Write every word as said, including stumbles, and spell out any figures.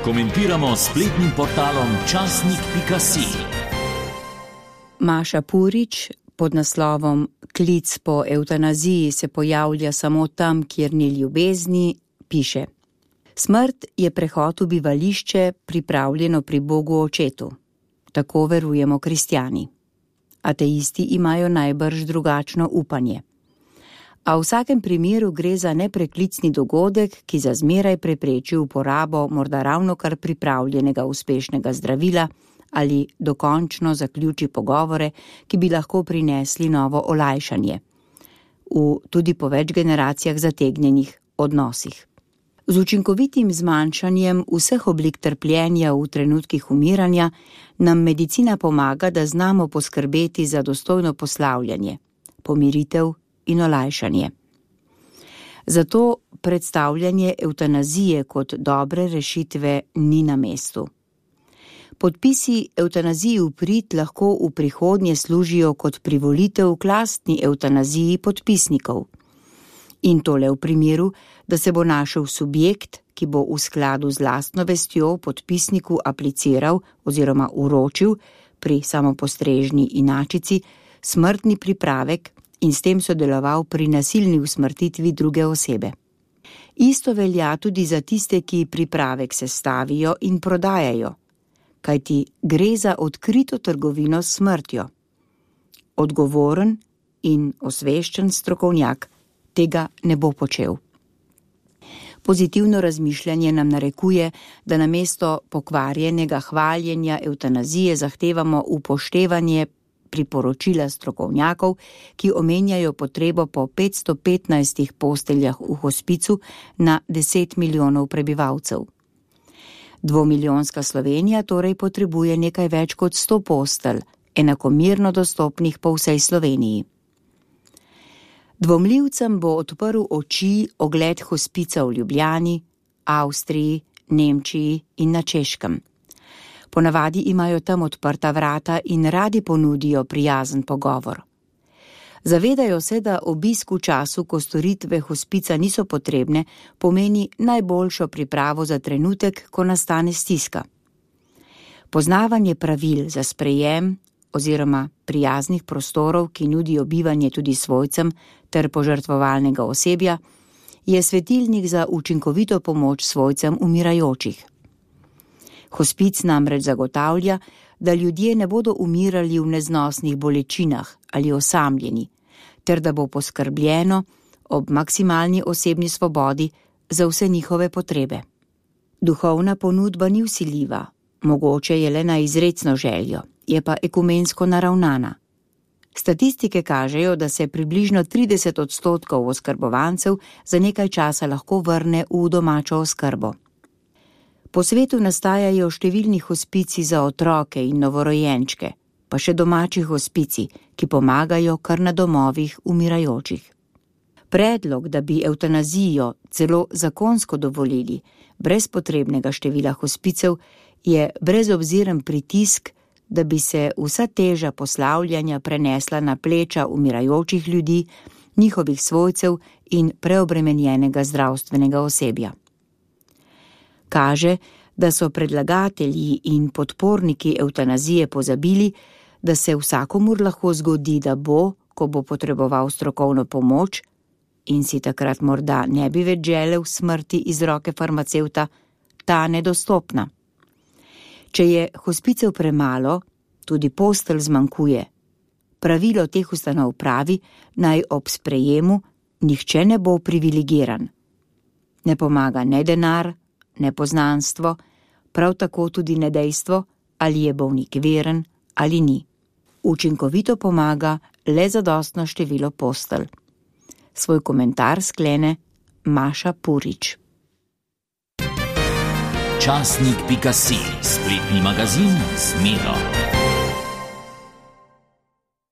komentiramo s spletnim portalom časnik pika si. Maša Purič pod naslovom Klic po evtanaziji se pojavlja samo tam, kjer ni ljubezni, piše: Smrt je prehod v bivališče, pripravljeno pri Bogu Očetu. Tako verujemo kristjani. Ateisti imajo najbrž drugačno upanje. A v vsakem primeru gre za nepreklicni dogodek, ki za zmeraj prepreči uporabo morda ravnokar pripravljenega uspešnega zdravila ali dokončno zaključi pogovore, ki bi lahko prinesli novo olajšanje v tudi po več generacijah zategnjenih odnosih. Z učinkovitim zmanjšanjem vseh oblik trpljenja v trenutkih umiranja nam medicina pomaga, da znamo poskrbeti za dostojno poslavljanje, pomiritev in olajšanje. Zato predstavljanje evtanazije kot dobre rešitve ni na mestu. Podpisi evtanaziji v prid lahko v prihodnje služijo kot privolitev k lastni evtanaziji podpisnikov. In tole v primeru, da se bo našel subjekt, ki bo v skladu z lastno vestjo podpisniku apliciral oziroma uročil pri samopostrežni inačici smrtni pripravek in s tem sodeloval pri nasilni usmrtitvi druge osebe. Isto velja tudi za tiste, ki pripravek sestavijo in prodajajo, kajti gre za odkrito trgovino s smrtjo. Odgovoren in osveščen strokovnjak tega ne bo počel. Pozitivno razmišljanje nam narekuje, da namesto pokvarjenega hvaljenja evtanazije zahtevamo upoštevanje priporočila strokovnjakov, ki omenjajo potrebo po petsto petnajstih posteljah v hospicu na deset milijonov prebivalcev. Dvomilijonska Slovenija torej potrebuje nekaj več kot sto postelj, enakomerno dostopnih po vsej Sloveniji. Dvomljivcem bo odprl oči ogled hospica v Ljubljani, Avstriji, Nemčiji in na Češkem. Ponavadi imajo tam odprta vrata in radi ponudijo prijazen pogovor. Zavedajo se, da obisk v času, ko storitve hospica niso potrebne, pomeni najboljšo pripravo za trenutek, ko nastane stiska. Poznavanje pravil za sprejem oziroma prijaznih prostorov, ki nudijo bivanje tudi svojcem ter požrtvovalnega osebja, je svetilnik za učinkovito pomoč svojcem umirajočih. Hospic namreč zagotavlja, da ljudje ne bodo umirali v neznosnih bolečinah ali osamljeni, ter da bo poskrbljeno ob maksimalni osebni svobodi za vse njihove potrebe. Duhovna ponudba ni vsiljiva, mogoče je le na izrecno željo, je pa ekumensko naravnana. Statistike kažejo, da se približno trideset odstotkov oskrbovancev za nekaj časa lahko vrne v domačo oskrbo. Po svetu nastajajo številni hospici za otroke in novorojenčke, pa še domači hospici, ki pomagajo kar na domovih umirajočih. Predlog, da bi evtanazijo celo zakonsko dovolili, brez potrebnega števila hospicev, je brezobziren pritisk, da bi se vsa teža poslavljanja prenesla na pleča umirajočih ljudi, njihovih svojcev in preobremenjenega zdravstvenega osebja. Kaže, da so predlagatelji in podporniki evtanazije pozabili, da se vsakomur lahko zgodi, da bo, ko bo potreboval strokovno pomoč in si takrat morda ne bi več želel smrti iz roke farmacevta, ta nedostopna. Če je hospicev premalo, tudi postelj zmanjkuje. Pravilo teh ustanov pravi, naj ob sprejemu nihče ne bo privilegiran. Ne pomaga ne denar, ne poznanstvo, prav tako tudi ne dejstvo, ali je bolnik veren ali ni. Učinkovito pomaga le zadostno število postelj. Svoj komentar sklene Maša Purič. časnik pika si, spletni magazin z Miro.